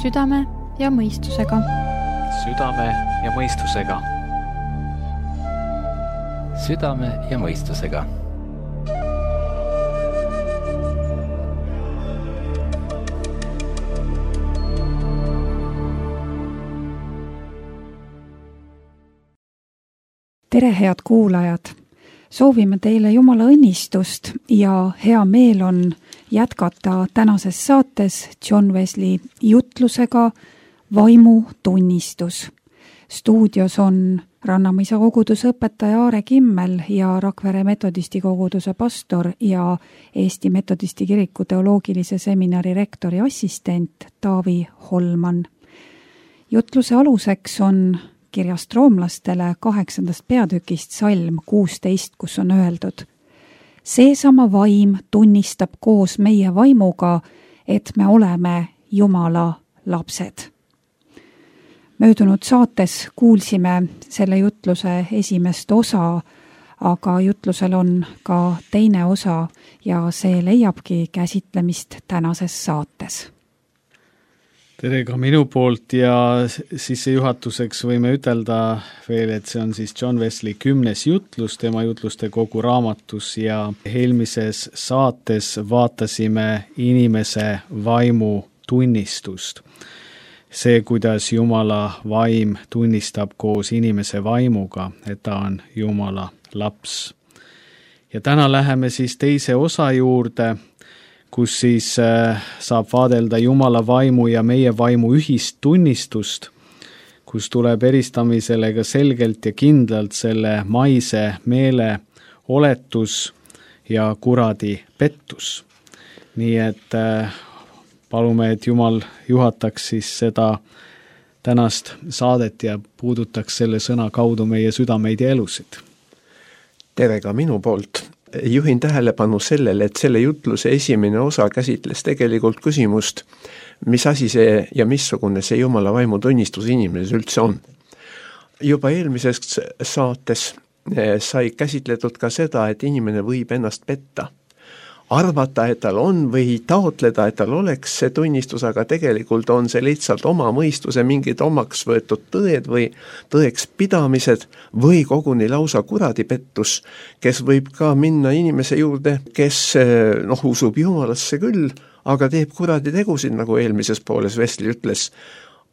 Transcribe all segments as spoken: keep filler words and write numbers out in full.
südame ja mõistusega. Südame ja mõistusega. Südame ja mõistusega. Tere, head kuulajad! Soovime teile Jumala õnnistust ja hea meel on jätkata tänases saates John Wesley jutlusega Vaimu tunnistus. Stuudios on Rannamõisa koguduse õpetaja Aare Kimmel ja Rakvere metodisti koguduse pastor ja Eesti metodisti kiriku teoloogilise seminari rektori assistent Taavi Holman. Jutluse aluseks on kirjast roomlastele kaheksandast peatükist salm kuusteist, kus on öeldud: seesama vaim tunnistab koos meie vaimuga, et me oleme Jumala lapsed. Möödunud saates kuulsime selle jutluse esimest osa, aga jutlusel on ka teine osa ja see leiabki käsitlemist tänases saates. Tere ka minu poolt ja sissejuhatuseks võime ütelda veel, et see on siis John Wesley kümnes jutlus tema jutluste kogu raamatus ja eelmises saates vaatasime inimese vaimu tunnistust. See, kuidas Jumala vaim tunnistab koos inimese vaimuga, et ta on Jumala laps. Ja täna läheme siis teise osa juurde, kus siis saab vaadelda Jumala vaimu ja meie vaimu ühist tunnistust, kus tuleb eristamisele ka selgelt ja kindlalt selle maise meele oletus ja kuradi pettus. Nii et palume, et Jumal juhataks siis seda tänast saadet ja puudutaks selle sõna kaudu meie südameid ja elusid. Tere ka minu poolt. Juhin tähelepanu sellele, et selle jutluse esimene osa käsitles tegelikult küsimust, mis asi see ja missugune see Jumala vaimu tunnistus inimeses üldse on. Juba eelmises saates sai käsitletud ka seda, et inimene võib ennast petta. Arvata, et tal on või taotleda, et tal oleks see tunnistus, aga tegelikult on see lihtsalt oma mõistuse mingid omaks võetud tõed või tõeks pidamised või koguni lausa kuradipettus, kes võib ka minna inimese juurde, kes noh, usub Jumalasse küll, aga teeb kuradi tegusid, nagu eelmises pooles Wesley ütles.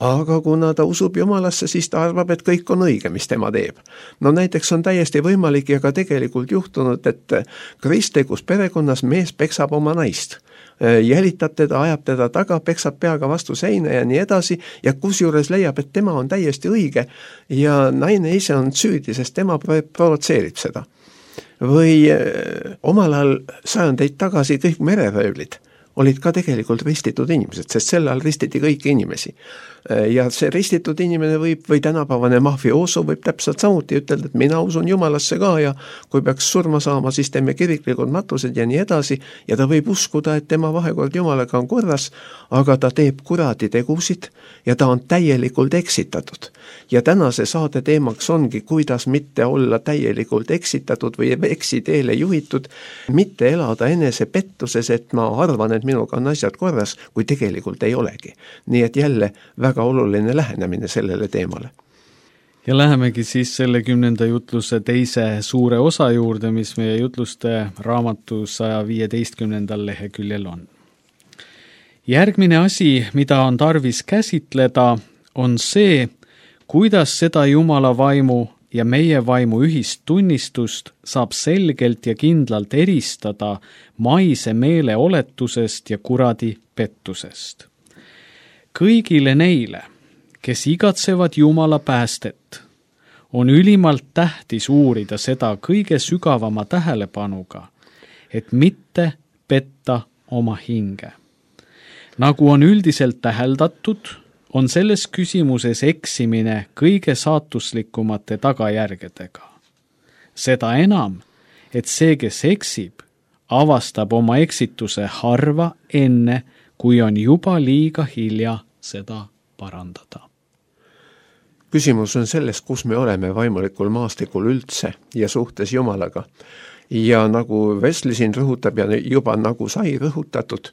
Aga kuna ta usub Jumalasse, siis ta arvab, et kõik on õige, mis tema teeb. No näiteks on täiesti võimalik ja ka tegelikult juhtunud, et kristlikus perekonnas mees peksab oma naist. Jälitab teda, ajab teda taga, peksab peaga vastu seina ja nii edasi ja kusjuures leiab, et tema on täiesti õige ja naine ise on süüdi, sest tema provotseerib seda. Või omal ajal sajandeid tagasi kõik mereröövlid olid ka tegelikult ristitud inimesed, sest sel ajal ristiti kõiki inimesi. Ja see ristitud inimene võib, või tänapäevane mafioso võib täpselt samuti ütelda, et mina usun Jumalasse ka ja kui peaks surma saama, siis teeme kiriklikud matused ja nii edasi ja ta võib uskuda, et tema vahekord Jumalaga on korras, aga ta teeb kuradi tegusid ja ta on täielikult eksitatud. Ja tänase saade teemaks ongi, kuidas mitte olla täielikult eksitatud või eksiteele juhitud, mitte elada enese pettuses, et ma arvan, et minuga on asjad korras, kui tegelikult ei olegi. Nii et jälle väga oluline lähenemine sellele teemale. Ja lähemegi siis selle kümnenda jutluse teise suure osa juurde, mis meie jutluste raamatu saja viieteistkümnendal leheküljel on. Järgmine asi, mida on tarvis käsitleda, on see, kuidas seda Jumala vaimu ja meie vaimu ühist tunnistust saab selgelt ja kindlalt eristada maise meele oletusest ja kuradi pettusest. Kõigile neile, kes igatsevad Jumala päästet, on ülimalt tähtis uurida seda kõige sügavama tähelepanuga, et mitte petta oma hinge. Nagu on üldiselt täheldatud, on selles küsimuses eksimine kõige saatuslikumate tagajärgedega. Seda enam, et see, kes eksib, avastab oma eksituse harva enne, kui on juba liiga hilja seda parandada. Küsimus on selles, kus me oleme vaimulikul maastikul üldse ja suhtes Jumalaga. Ja nagu Wesley siin rõhutab ja juba nagu sai rõhutatud,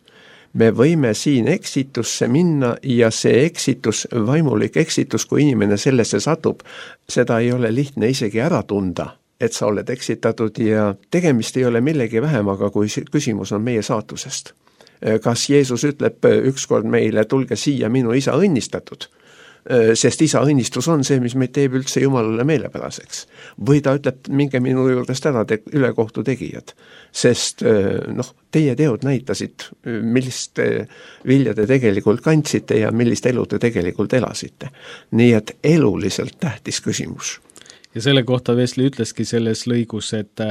me võime siin eksitusse minna ja see eksitus, vaimulik eksitus, kui inimene sellesse satub, seda ei ole lihtne isegi ära tunda, et sa oled eksitatud ja tegemist ei ole millegi vähemaga, kui küsimus on meie saatusest. Kas Jeesus ütleb ükskord meile, tulge siia minu isa õnnistatud, sest isa õnnistus on see, mis meid teeb üldse Jumalale meelepäraseks. Või ta ütleb, minge minu juurest ära te ülekohtu tegijad, sest noh, teie teod näitasid, millist vilja te tegelikult kandsite ja millist elu te tegelikult elasite. Nii et eluliselt tähtis küsimus. Ja selle kohta Wesley ütleski selles lõigus, et,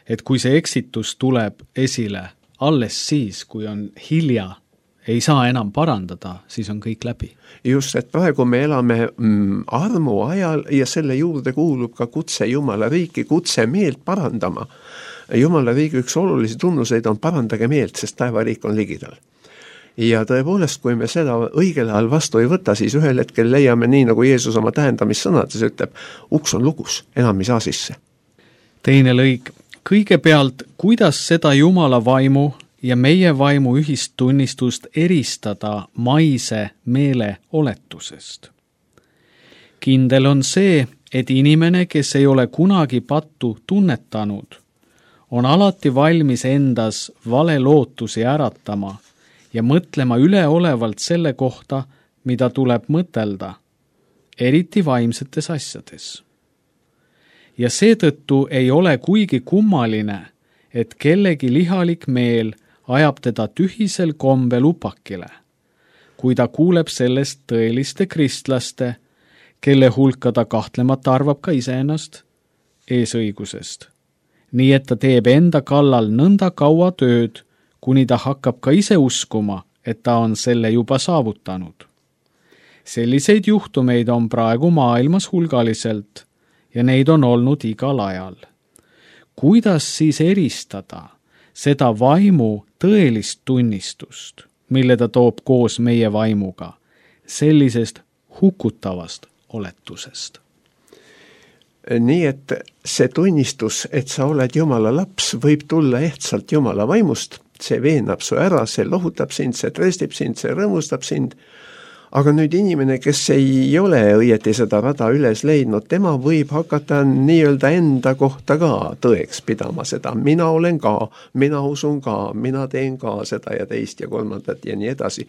et kui see eksitus tuleb esile alles siis, kui on hilja, ei saa enam parandada, siis on kõik läbi. Just, et praegu me elame mm, armu ajal ja selle juurde kuulub ka kutse Jumala riiki, kutse meelt parandama. Jumala riigi üks olulisi tunnuseid on parandage meelt, sest taevariik on ligidal. Ja tõepoolest, kui me seda õigel ajal vastu ei võta, siis ühel hetkel leiame nii, nagu Jeesus oma tähendamissõnades ütleb, uks on lukus, enam ei saa sisse. Teine lõik. Kõigepealt, kuidas seda Jumala vaimu ja meie vaimu ühist tunnistust eristada maise meele oletusest. Kindel on see, et inimene, kes ei ole kunagi pattu tunnetanud, on alati valmis endas vale lootusi äratama ja mõtlema üleolevalt selle kohta, mida tuleb mõtelda, eriti vaimsetes asjades. Ja seetõttu ei ole kuigi kummaline, et kellegi lihalik meel ajab teda tühisel kombel upakile, kui ta kuuleb sellest tõeliste kristlaste, kelle hulka ta kahtlemata arvab ka iseennast eesõigusest. Nii et ta teeb enda kallal nõnda kaua tööd, kuni ta hakkab ka ise uskuma, et ta on selle juba saavutanud. Selliseid juhtumeid on praegu maailmas hulgaliselt ja neid on olnud igal ajal. Kuidas siis eristada seda vaimu tõelist tunnistust, mille ta toob koos meie vaimuga, sellisest hukutavast oletusest? Nii et see tunnistus, et sa oled Jumala laps, võib tulla ehtsalt Jumala vaimust, see veenab su ära, see lohutab sind, see tröstib sind, see rõõmustab sind, aga nüüd inimene, kes ei ole õieti seda rada üles leidnud, tema võib hakata nii-öelda enda kohta ka tõeks pidama seda. Mina olen ka, mina usun ka, mina teen ka seda ja teist ja kolmandat ja nii edasi.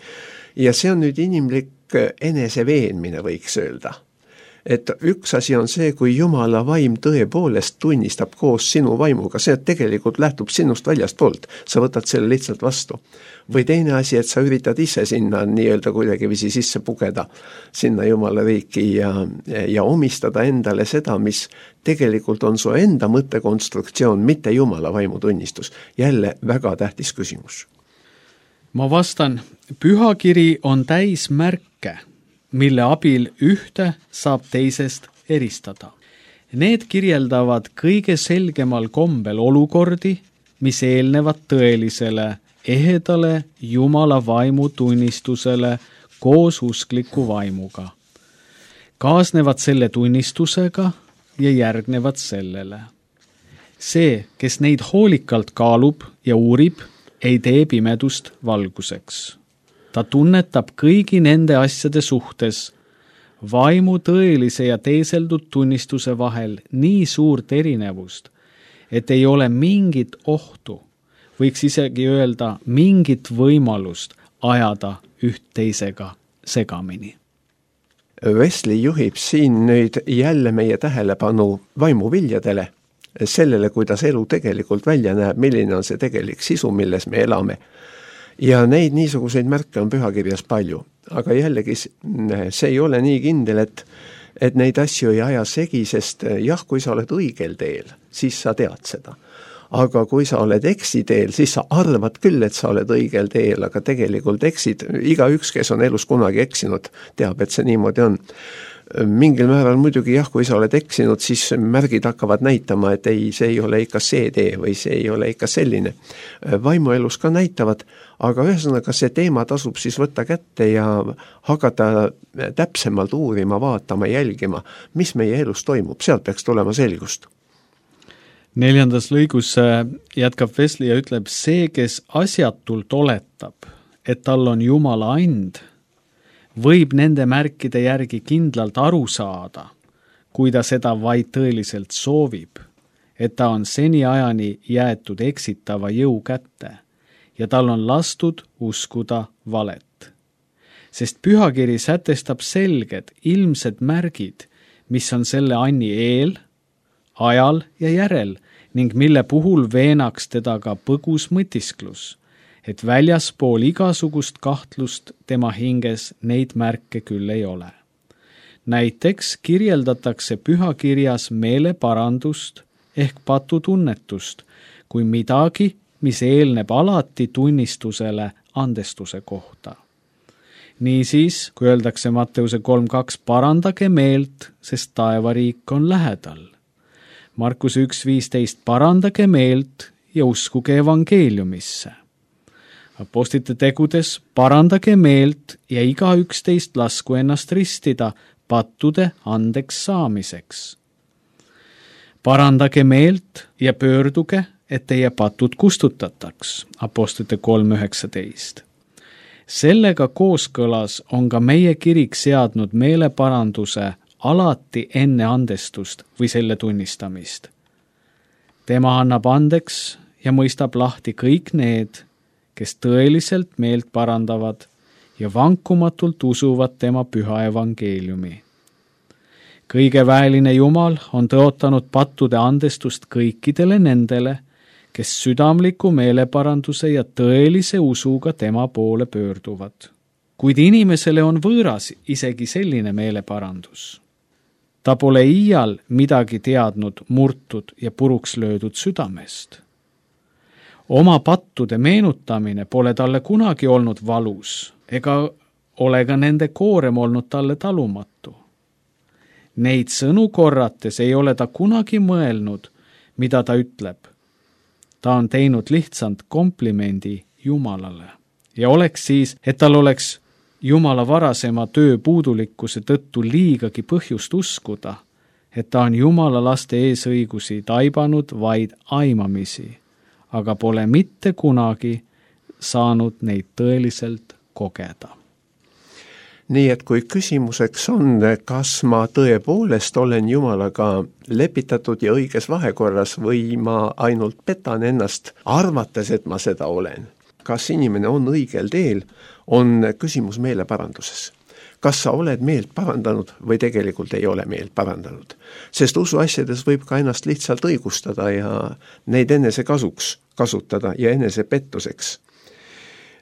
Ja see on nüüd inimlik eneseveenmine, võiks öelda. Et üks asi on see, kui Jumala vaim tõepoolest tunnistab koos sinu vaimuga, see tegelikult lähtub sinust väljast poolt, sa võtad selle lihtsalt vastu. Või teine asi, et sa üritad ise sinna nii-öelda kuidagivisi sisse pugeda sinna Jumala riiki ja, ja omistada endale seda, mis tegelikult on su enda mõttekonstruktsioon, mitte Jumala vaimu tunnistus. Jälle väga tähtis küsimus. Ma vastan, pühakiri on täis märke, mille abil ühte saab teisest eristada. Need kirjeldavad kõige selgemal kombel olukordi, mis eelnevad tõelisele, ehedale Jumala vaimu tunnistusele koos uskliku vaimuga. Kaasnevad selle tunnistusega ja järgnevad sellele. See, kes neid hoolikalt kaalub ja uurib, ei tee pimedust valguseks. Ta tunnetab kõigi nende asjade suhtes vaimu tõelise ja teeseldud tunnistuse vahel nii suurt erinevust, et ei ole mingit ohtu, võiks isegi öelda mingit võimalust ajada üht teisega segamini. Wesley juhib siin nüüd jälle meie tähelepanu vaimuviljadele, sellele, kuidas elu tegelikult välja näeb, milline on see tegelik sisu, milles me elame. Ja neid niisuguseid märke on pühakirjas palju, aga jällegi see ei ole nii kindel, et, et neid asju ei aja segi, sest jah, kui sa oled õigel teel, siis sa tead seda. Aga kui sa oled eksiteel, siis sa arvad küll, et sa oled õigel teel, aga tegelikult eksid. Iga üks, kes on elus kunagi eksinud, teab, et see niimoodi on. Mingil määral muidugi jah, kui sa oled eksinud, siis märgid hakkavad näitama, et ei, see ei ole ikka see tee või see ei ole ikka selline. Vaimuelus ka näitavad, aga ühesõnaga see teema tasub siis võtta kätte ja hakata täpsemalt uurima, vaatama, jälgima, mis meie elus toimub, sealt peaks tulema selgust. Neljandas lõigus jätkab Wesley ja ütleb, see, kes asjatult oletab, et tal on Jumala and, võib nende märkide järgi kindlalt aru saada, kui ta seda vaid tõeliselt soovib, et ta on seniajani jäetud eksitava jõu kätte ja tal on lastud uskuda valet. Sest pühakiri sätestab selged, ilmsed märgid, mis on selle anni eel, ajal ja järel ning mille puhul veenaks teda ka põgus mõtisklus, et väljaspool igasugust kahtlust tema hinges neid märke küll ei ole. Näiteks kirjeldatakse pühakirjas meeleparandust ehk patutunnetust kui midagi, mis eelneb alati tunnistusele andestuse kohta. Niisiis, kui öeldakse Matteuse kolm kaks, parandage meelt, sest taevariik on lähedal. Markuse üks viisteist, parandage meelt ja uskuge evangeeliumisse. Apostlite tegudes, parandage meelt ja iga üksteist lasku ennast ristida pattude andeks saamiseks. Parandage meelt ja pöörduge, et teie patud kustutataks. Apostlite kolm üheksateist. Sellega kooskõlas on ka meie kirik seadnud meeleparanduse alati enne andestust või selle tunnistamist. Tema annab andeks ja mõistab lahti kõik need, kes tõeliselt meelt parandavad ja vankumatult usuvad tema püha evangeeliumi. Kõige väeline Jumal on tõotanud pattude andestust kõikidele nendele, kes südamliku meeleparanduse ja tõelise usuga tema poole pöörduvad. Kuid inimesele on võõras isegi selline meeleparandus. Ta pole iial midagi teadnud murtud ja puruks löödud südamest. Oma pattude meenutamine pole talle kunagi olnud valus, ega ole ka nende koorem olnud talle talumatu. Neid sõnu korrates ei ole ta kunagi mõelnud, mida ta ütleb. Ta on teinud lihtsalt komplimendi Jumalale. Ja oleks siis, et tal oleks Jumala varasema töö puudulikkuse tõttu liigagi põhjust uskuda, et ta on Jumala laste eesõigusi taibanud vaid aimamisi, aga pole mitte kunagi saanud neid tõeliselt kogeda. Nii et kui küsimuseks on, kas ma tõepoolest olen Jumalaga lepitatud ja õiges vahekorras või ma ainult petan ennast, arvates, et ma seda olen, kas inimene on õigel teel, on küsimus meeleparanduses. Kas sa oled meelt parandanud või tegelikult ei ole meelt parandanud? Sest usuasjades võib ka ennast lihtsalt õigustada ja neid enese kasuks kasutada ja enese pettuseks.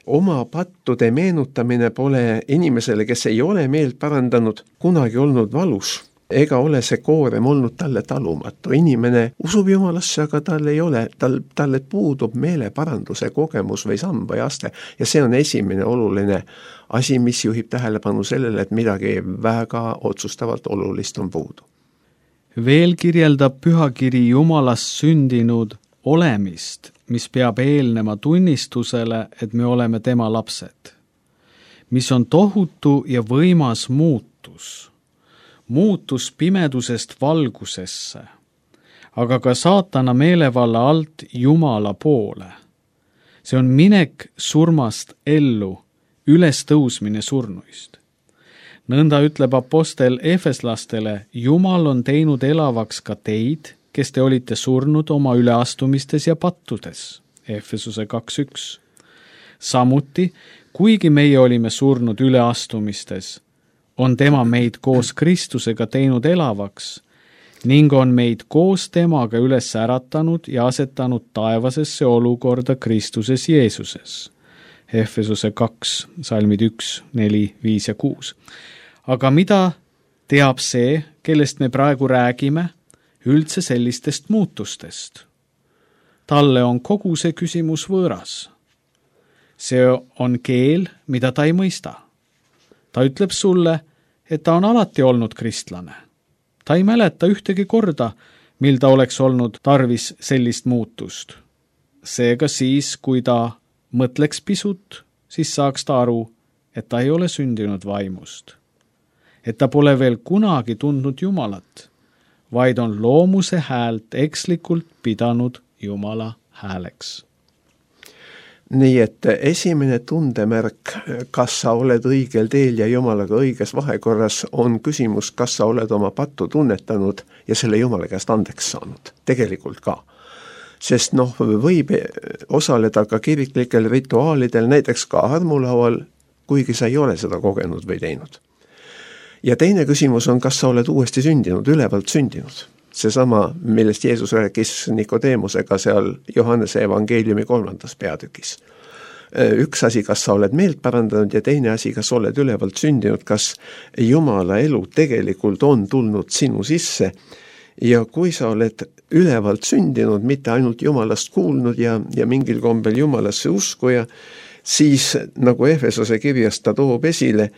Oma pattude meenutamine pole inimesele, kes ei ole meelt parandanud, kunagi olnud valus, ega ole see koorem olnud talle talumatu. Inimene usub Jumalasse, aga tal ei ole, tal, talle puudub meeleparanduse kogemus või samm või aste ja see on esimene oluline asi, mis juhib tähelepanu sellele, et midagi väga otsustavalt olulist on puudu. Veel kirjeldab pühakiri Jumalast sündinud olemist, mis peab eelnema tunnistusele, et me oleme tema lapsed, mis on tohutu ja võimas muutus, muutus pimedusest valgusesse, aga ka saatana meelevalla alt Jumala poole. See on minek surmast ellu, ülestõusmine surnuist. Nõnda ütleb apostel Efeslastele, Jumal on teinud elavaks ka teid, kes te olite surnud oma üleastumistes ja pattudes. Efesuse kaks üks. Samuti, kuigi meie olime surnud üleastumistes, on tema meid koos Kristusega teinud elavaks ning on meid koos temaga üles äratanud ja asetanud taevasesse olukorda Kristuses Jeesuses. Efesuse kaks, salmid üks, neli, viis ja kuus. Aga mida teab see, kellest me praegu räägime, üldse sellistest muutustest? Talle on kogu see küsimus võõras. See on keel, mida ta ei mõista. Ta ütleb sulle, et ta on alati olnud kristlane. Ta ei mäleta ühtegi korda, mil ta oleks olnud tarvis sellist muutust. Seega siis, kui ta mõtleks pisut, siis saaks ta aru, et ta ei ole sündinud vaimust. Et ta pole veel kunagi tundnud Jumalat, vaid on loomuse häält ekslikult pidanud Jumala hääleks. nii et esimene tundemärk, kas sa oled õigel teel ja Jumalaga õiges vahekorras, on küsimus, kas sa oled oma pattu tunnetanud ja selle Jumala käest andeks saanud. Tegelikult ka. Sest noh, võib osaleda ka kiriklikel rituaalidel, näiteks ka armulaual, kuigi sa ei ole seda kogenud või teinud. Ja teine küsimus on, kas sa oled uuesti sündinud, ülevalt sündinud. Seesama, millest Jeesus rääkis Nikodeemusega seal Johannese evangeeliumi kolmandas peatükis. Üks asi, kas sa oled meelt parandanud ja teine asi, kas oled ülevalt sündinud, kas Jumala elu tegelikult on tulnud sinu sisse ja kui sa oled ülevalt sündinud, mitte ainult Jumalast kuulnud ja, ja mingil kombel Jumalasse uskuja, siis nagu Efesose kirjas ta toob esile,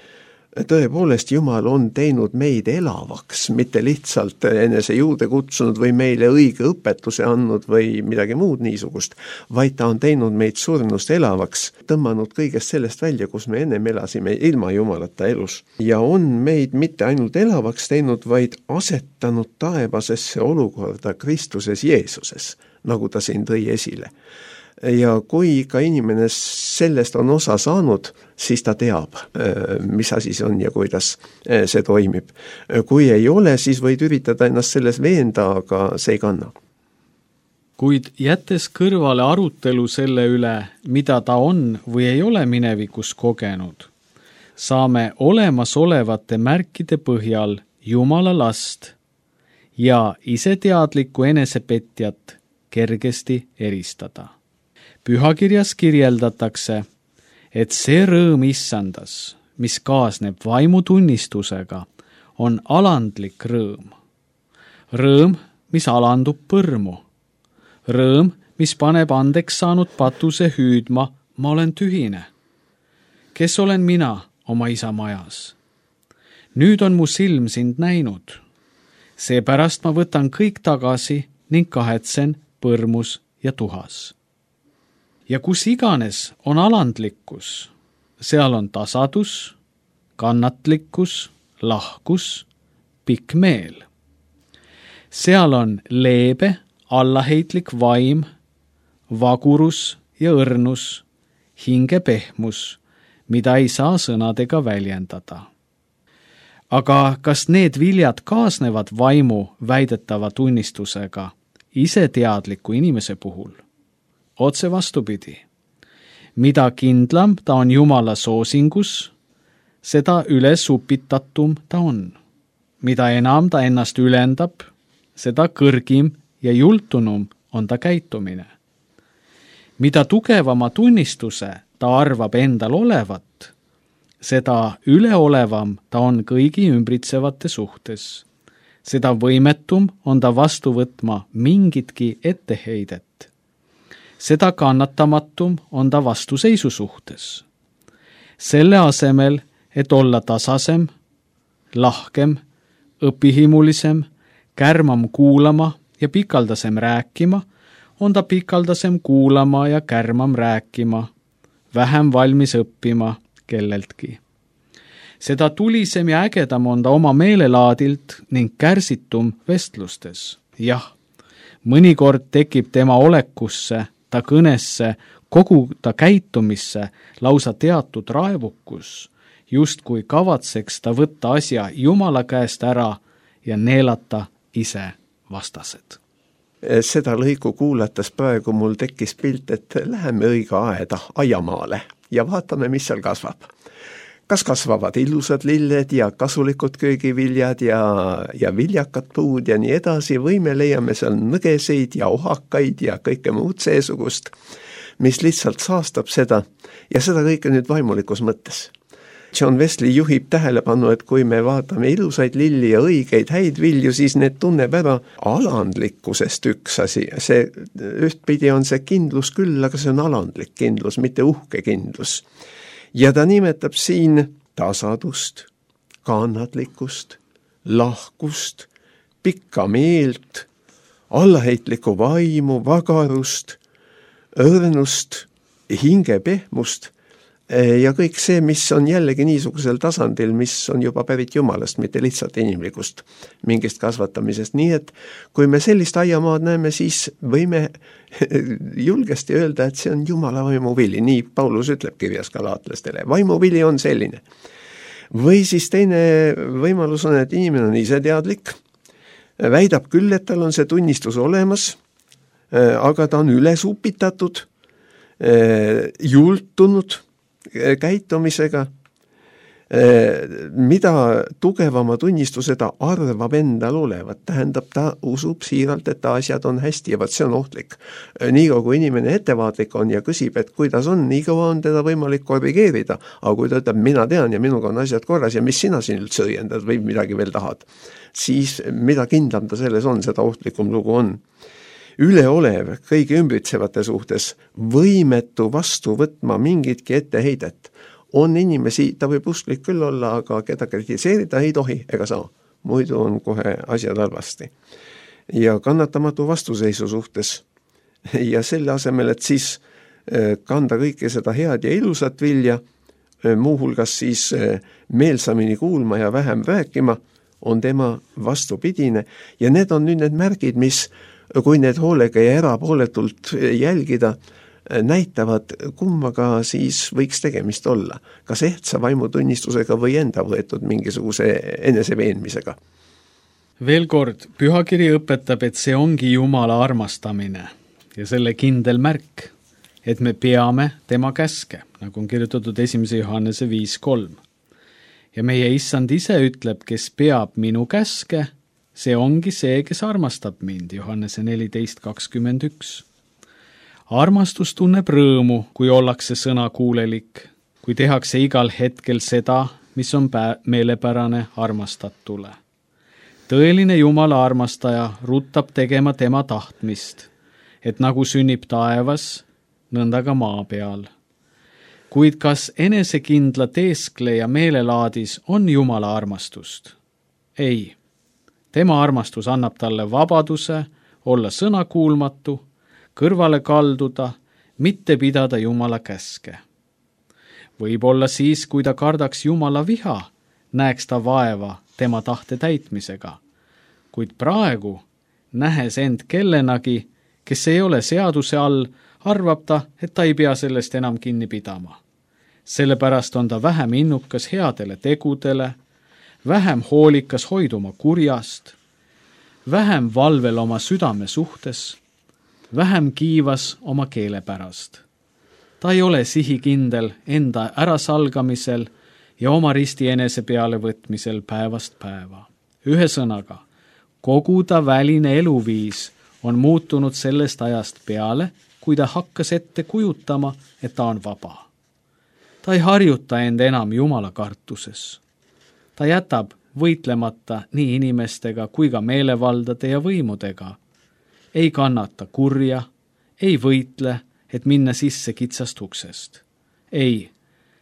tõepoolest Jumal on teinud meid elavaks, mitte lihtsalt enese juurde kutsunud või meile õige õpetuse andnud või midagi muud niisugust, vaid ta on teinud meid surnust elavaks, tõmmanud kõigest sellest välja, kus me ennem elasime ilma Jumalata elus. Ja on meid mitte ainult elavaks teinud, vaid asetanud taevasesse olukorda Kristuses Jeesuses, nagu ta siin tõi esile. Ja kui ka inimene sellest on osa saanud, siis ta teab, mis asi see on ja kuidas see toimib. Kui ei ole, siis võid üritada ennast selles veenda, aga see ei kanna. Kuid jättes kõrvale arutelu selle üle, mida ta on või ei ole minevikus kogenud, saame olemasolevate märkide põhjal Jumala last ja iseteadlikku enesepetjat kergesti eristada. Pühakirjas kirjeldatakse, et see rõõm issandas, mis kaasneb vaimutunnistusega, on alandlik rõõm. Rõõm, mis alandub põrmu. Rõõm, mis paneb andeks saanud patuse hüüdma, ma olen tühine. Kes olen mina oma isa majas? Nüüd on mu silm sind näinud. Seepärast ma võtan kõik tagasi ning kahetsen põrmus ja tuhas. Ja kus iganes on alandlikkus, seal on tasadus, kannatlikkus, lahkus, pikk meel. Seal on leebe, allaheitlik vaim, vagurus ja õrnus, hinge pehmus, mida ei saa sõnadega väljendada. Aga kas need viljad kaasnevad vaimu väidetava tunnistusega iseteadliku inimese puhul? Otse vastupidi. Mida kindlam ta on Jumala soosingus, seda ülesupitatum ta on. Mida enam ta ennast ülendab, seda kõrgim ja jultunum on ta käitumine. Mida tugevama tunnistuse ta arvab endal olevat, seda üleolevam ta on kõigi ümbritsevate suhtes. Seda võimetum on ta vastu võtma mingitki etteheidet. Seda kannatamatum on ta vastuseisu suhtes. Selle asemel, et olla tasasem, lahkem, õpihimulisem, kärmam kuulama ja pikaldasem rääkima, on ta pikaldasem kuulama ja kärmam rääkima, vähem valmis õppima kelleltki. Seda tulisem ja ägedam on ta oma meelelaadilt ning kärsitum vestlustes. Jah, mõnikord tekib tema olekusse, ta kõnesse, kogu ta käitumisse lausa teatud raevukus, just kui kavatseks ta võtta asja Jumala käest ära ja neelata ise vastased. Seda lõigu kuulates praegu mul tekkis pilt, et läheme õige aeda aiamaale ja vaatame, mis seal kasvab. Kas kasvavad ilusad lilled ja kasulikud köögiviljad ja, ja viljakad puud ja nii edasi, või me leiame seal nõgeseid ja ohakaid ja kõike muud seesugust, mis lihtsalt saastab seda ja seda kõike nüüd vaimulikus mõttes. John Wesley juhib tähelepanu, et kui me vaatame ilusaid lilli ja õigeid häid vilju, siis need tunneb ära alandlikkusest üks asi. See, ühtpidi on see kindlus küll, aga see on alandlik kindlus, mitte uhke kindlus. Ja ta nimetab siin tasadust, kannatlikkust, lahkust, pikka meelt, allaheitlikku vaimu, vagarust, õrnust, hinge pehmust ja kõik see, mis on jällegi niisugusel tasandil, mis on juba pärit Jumalast, mitte lihtsalt inimlikust mingist kasvatamisest. Nii et kui me sellist aiamaad näeme, siis võime julgesti öelda, et see on Jumala vaimuvili. Nii Paulus ütleb kirjas galaatlastele. Vaimuvili on selline. Või siis teine võimalus on, et inimene on ise teadlik, väidab küll, et tal on see tunnistus olemas, aga ta on üles upitatud, jultunud käitumisega, mida tugevama tunnistuse ta arvab endal olevat, tähendab, ta usub siiralt, et asjad on hästi ja vaat see on ohtlik. Nii kui inimene ettevaatlik on ja küsib, et kuidas on, nii kaua on teda võimalik korrigeerida, aga kui ta ütleb, mina tean ja minuga on asjad korras ja mis sina siin üldse õiendad või midagi veel tahad, siis mida kindlam ta selles on, seda ohtlikum lugu on. Üleolev kõigi ümbritsevate suhtes, võimetu vastu võtma mingitki etteheidet. On inimesi, ta võib usklik küll olla, aga keda kritiseerida ei tohi ega saa. Muidu on kohe asjad halvasti. Ja kannatamatu vastuseisu suhtes. Ja selle asemel, et siis kanda kõike seda head ja ilusat vilja, muuhulgas siis meelsamini kuulma ja vähem rääkima, on tema vastupidine. Ja need on nüüd need märgid, mis kui need hoolega ja erapooletult jälgida, näitavad, kummaga siis võiks tegemist olla. Kas ehtsa vaimutunnistusega või enda võetud mingisuguse eneseveenmisega? Veel kord, pühakiri õpetab, et see ongi Jumala armastamine ja selle kindel märk, et me peame tema käske, nagu on kirjutatud esimese Johannese viis kolm. Ja meie issand ise ütleb, kes peab minu käske, see ongi see, kes armastab mind, Johannese neliteist kakskümmend üks. Armastus tunneb rõõmu, kui ollakse sõnakuulelik, kui tehakse igal hetkel seda, mis on pä- meelepärane armastatule. Tõeline Jumala armastaja ruttab tegema tema tahtmist, et nagu sünnib taevas, nõnda ka maa peal. Kuid kas enesekindla teeskleja meelelaadis on Jumala armastust? Ei. Tema armastus annab talle vabaduse olla sõnakuulmatu, kõrvale kalduda, mitte pidada Jumala käske. Võib-olla siis, kui ta kardaks Jumala viha, näeks ta vaeva tema tahte täitmisega. Kuid praegu, nähes end kellenagi, kes ei ole seaduse all, arvab ta, et ta ei pea sellest enam kinni pidama. Sellepärast on ta vähem innukas headele tegudele, vähem hoolikas hoiduma kurjast, vähem valvel oma südame suhtes, vähem kiivas oma keele pärast. Ta ei ole sihikindel enda ärasalgamisel ja oma risti enese peale võtmisel päevast päeva. Ühe sõnaga, kogu ta väline eluviis on muutunud sellest ajast peale, kui ta hakkas ette kujutama, et ta on vaba. Ta ei harjuta end enam Jumala kartuses. Ta jätab võitlemata nii inimestega kui ka meelevaldade ja võimudega. Ei kannata kurja, ei võitle, et minna sisse kitsast uksest. Ei,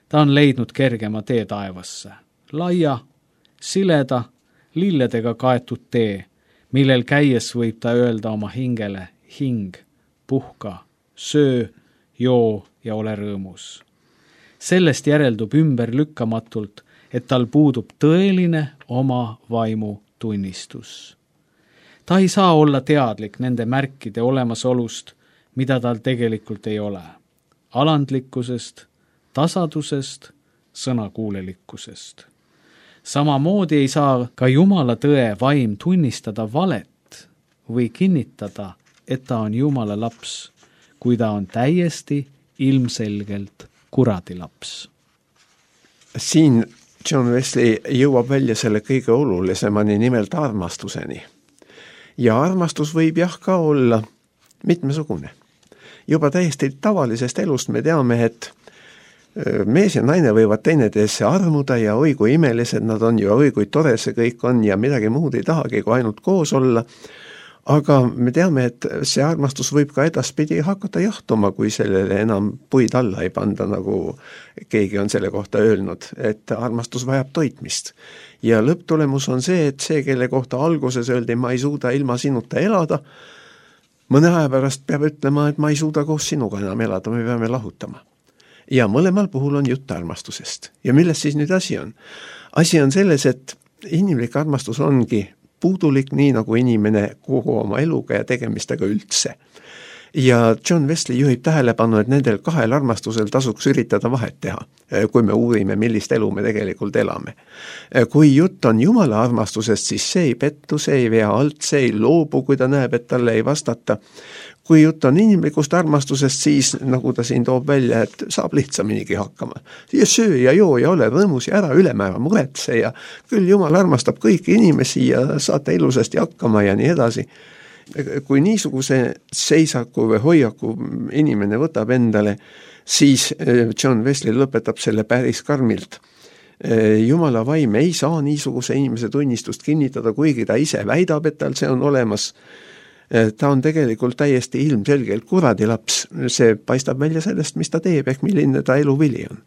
ta on leidnud kergema tee taevasse. Laia, sileda, lilledega kaetud tee, millel käies võib ta öelda oma hingele hing, puhka, söö, joo ja ole rõõmus. Sellest järeldub ümber lükkamatult, et tal puudub tõeline oma vaimu tunnistus. Ta ei saa olla teadlik nende märkide olemasolust, mida tal tegelikult ei ole. Alandlikkusest, tasadusest, sõnakuulelikkusest. Samamoodi ei saa ka Jumala tõe vaim tunnistada valet või kinnitada, et ta on Jumala laps, kui ta on täiesti ilmselgelt kuradi laps. Siin John Wesley jõuab välja selle kõige olulisemani, nimelt armastuseni. Ja armastus võib jah ka olla mitmesugune. Juba täiesti tavalisest elust me teame, et mees ja naine võivad teineteesse armuda ja oi kui imelised nad on ja oi kui tore see kõik on ja midagi muud ei tahagi, kui ainult koos olla. Aga me teame, et see armastus võib ka edaspidi hakata jahtuma, kui sellele enam puid alla ei panda, nagu keegi on selle kohta öelnud, et armastus vajab toitmist. Ja lõpptulemus on see, et see, kelle kohta alguses öeldi, ma ei suuda ilma sinuta elada, mõne aja pärast peab ütlema, et ma ei suuda koos sinuga enam elada, me peame lahutama. ja mõlemal puhul on jutt armastusest. Ja milles siis nüüd asi on? Asi on selles, et inimlik armastus ongi puudulik, nii nagu inimene kogu oma eluga ja tegemistega üldse. Ja John Wesley juhib tähelepanu, et nendel kahel armastusel tasuks üritada vahet teha, kui me uurime, millist elu me tegelikult elame. Kui jutt on Jumala armastusest, siis see ei pettu, see ei vea alt, see ei loobu, kui ta näeb, et talle ei vastata. Kui jutt on inimlikust armastusest, siis nagu ta siin toob välja, et saab lihtsaminigi hakkama. Ja söö ja joo ja ole rõõmus ja ära ülemäära muretse ja küll Jumal armastab kõiki inimesi ja saate ilusasti hakkama ja nii edasi. Kui niisuguse seisaku või hoiaku inimene võtab endale, siis John Wesley lõpetab selle päris karmilt. Jumala vaim ei saa niisuguse inimese tunnistust kinnitada, kuigi ta ise väidab, et tal see on olemas. Ta on tegelikult täiesti ilmselgelt kuradi laps. See paistab välja sellest, mis ta teeb, ehk milline ta elu vili on.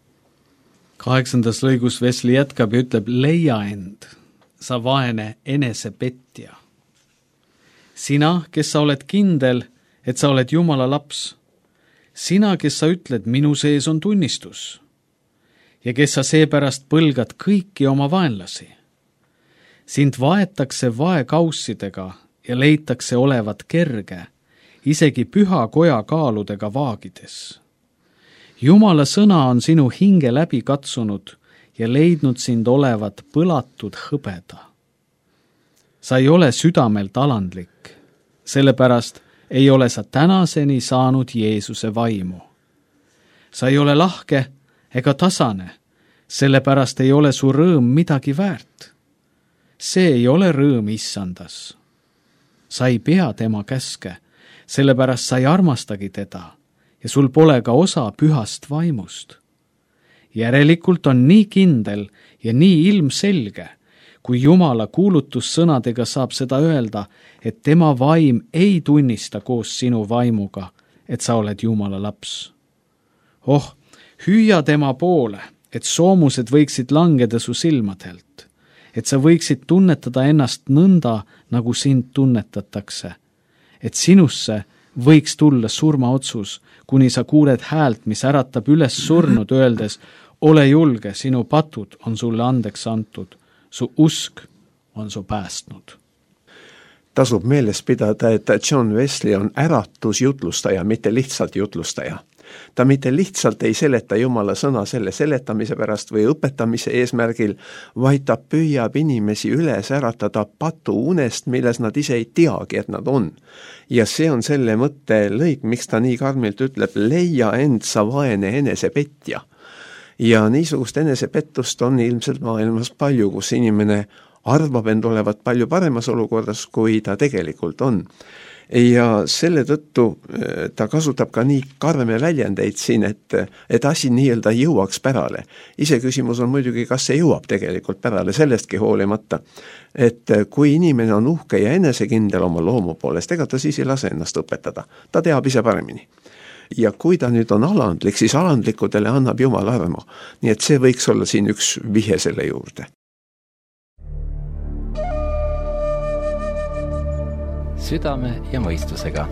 Kaheksandas lõigus Wesley jätkab ja ütleb, leia end, sa vaene enesepetja. Sina, kes sa oled kindel, et sa oled Jumala laps. Sina, kes sa ütled, minu sees on tunnistus. Ja kes sa seepärast põlgad kõiki oma vaenlasi. Sind vaetakse vaekaussidega ja leitakse olevat kerge, isegi püha koja kaaludega vaagides. Jumala sõna on sinu hinge läbi katsunud ja leidnud sind olevat põlatud hõbeda. Sa ei ole südamelt alandlik, sellepärast ei ole sa tänaseni saanud Jeesuse vaimu. Sa ei ole lahke ega tasane, sellepärast ei ole su rõõm midagi väärt. See ei ole rõõm issandas. Sa ei pea tema käske, sellepärast sa ei armastagi teda ja sul pole ka osa pühast vaimust. Järelikult on nii kindel ja nii ilmselge, kui Jumala kuulutussõnadega saab seda öelda, et tema vaim ei tunnista koos sinu vaimuga, et sa oled Jumala laps. Oh, hüüa tema poole, et soomused võiksid langeda su silmadelt, et sa võiksid tunnetada ennast nõnda, nagu sind tunnetatakse, et sinusse võiks tulla surmaotsus, kuni sa kuuled häält, mis äratab üles surnud, öeldes, ole julge, sinu patud on sulle andeks antud. Su usk on su päästnud. Tasub meeles pidada, et John Wesley on äratusjutlustaja, mitte lihtsalt jutlustaja. Ta mitte lihtsalt ei seleta Jumala sõna selle seletamise pärast või õpetamise eesmärgil, vaid ta püüab inimesi üles äratada patu unest, milles nad ise ei teagi, et nad on. Ja see on selle mõtte lõik, miks ta nii karmilt ütleb, leia end sa vaene enesepetja. Ja niisugust enesepettust on ilmselt maailmas palju, kus inimene arvab end olevat palju paremas olukorras, kui ta tegelikult on. Ja selle tõttu ta kasutab ka nii karme väljendeid siin, et, et asi nii-öelda jõuaks pärale. Ise küsimus on muidugi, kas see jõuab tegelikult pärale, sellestki hoolimata. Et kui inimene on uhke ja enesekindel oma loomu poolest, ega ta siis ei lase ennast õpetada. Ta teab ise paremini. Ja kui ta nüüd on alandlik, siis alandlikudele annab Jumal armu. Nii et see võiks olla siin üks vihje selle juurde. Südame ja mõistusega.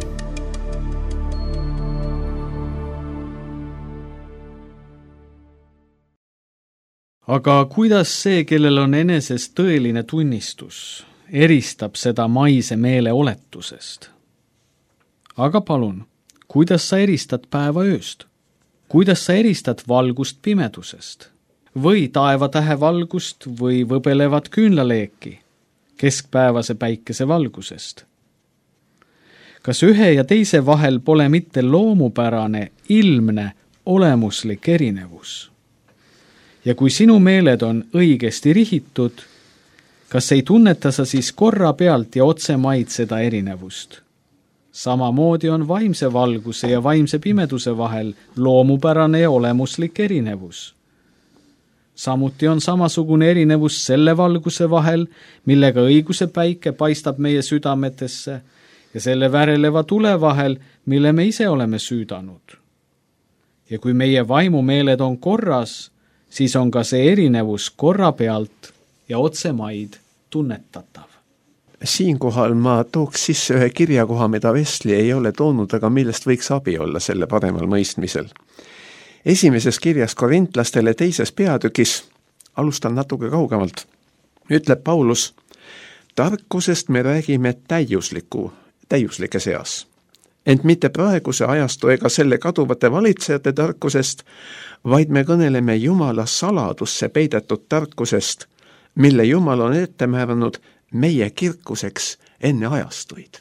Aga kuidas see, kellel on eneses tõeline tunnistus, eristab seda maise meele oletusest? Aga palun, kuidas sa eristad päeva ööst? Kuidas sa eristad valgust pimedusest? Või taevatähe valgust või võbelevat küünlaleeki keskpäevase päikese valgusest? Kas ühe ja teise vahel pole mitte loomupärane, ilmne, olemuslik erinevus? Ja kui sinu meeled on õigesti rihitud, kas ei tunneta sa siis korra pealt ja otsemaid seda erinevust? Samamoodi on vaimse valguse ja vaimse pimeduse vahel loomupärane ja olemuslik erinevus. Samuti on samasugune erinevus selle valguse vahel, millega õiguse päike paistab meie südametesse, ja selle väreleva tule vahel, mille me ise oleme süüdanud. Ja kui meie vaimumeeled on korras, siis on ka see erinevus korra pealt ja otsemaid tunnetatav. Siinkohal ma tooks sisse ühe kirjakoha, mida Wesley ei ole toonud, aga millest võiks abi olla selle paremal mõistmisel. esimeses kirjas korintlastele teises peatükis, alustan natuke kaugemalt, ütleb Paulus, tarkusest me räägime täiusliku, täiuslike seas. Ent mitte praeguse ajastu ega selle kaduvate valitsejate tarkusest, vaid me kõneleme Jumala saladusse peidetud tarkusest, mille Jumal on ette määranud meie kirkuseks enne ajastuid.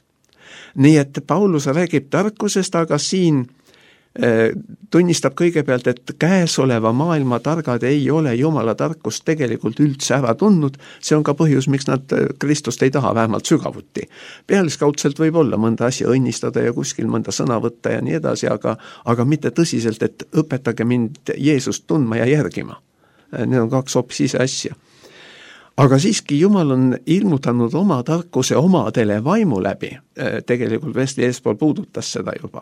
Nii et Paulus räägib tarkusest, aga siin äh, tunnistab kõigepealt, et käesoleva maailma targad ei ole Jumala tarkust tegelikult üldse ära tundnud. See on ka põhjus, miks nad Kristust ei taha vähemalt sügavuti. Pealiskaudselt võib olla mõnda asja õnnistada ja kuskil mõnda sõna võtta ja nii edasi, aga, aga mitte tõsiselt, et õpetage mind Jeesust tundma ja järgima. Need on kaks hoopis ise asja. Aga siiski Jumal on ilmutanud oma tarkuse omadele vaimu läbi. Tegelikult Wesley eespool puudutas seda juba.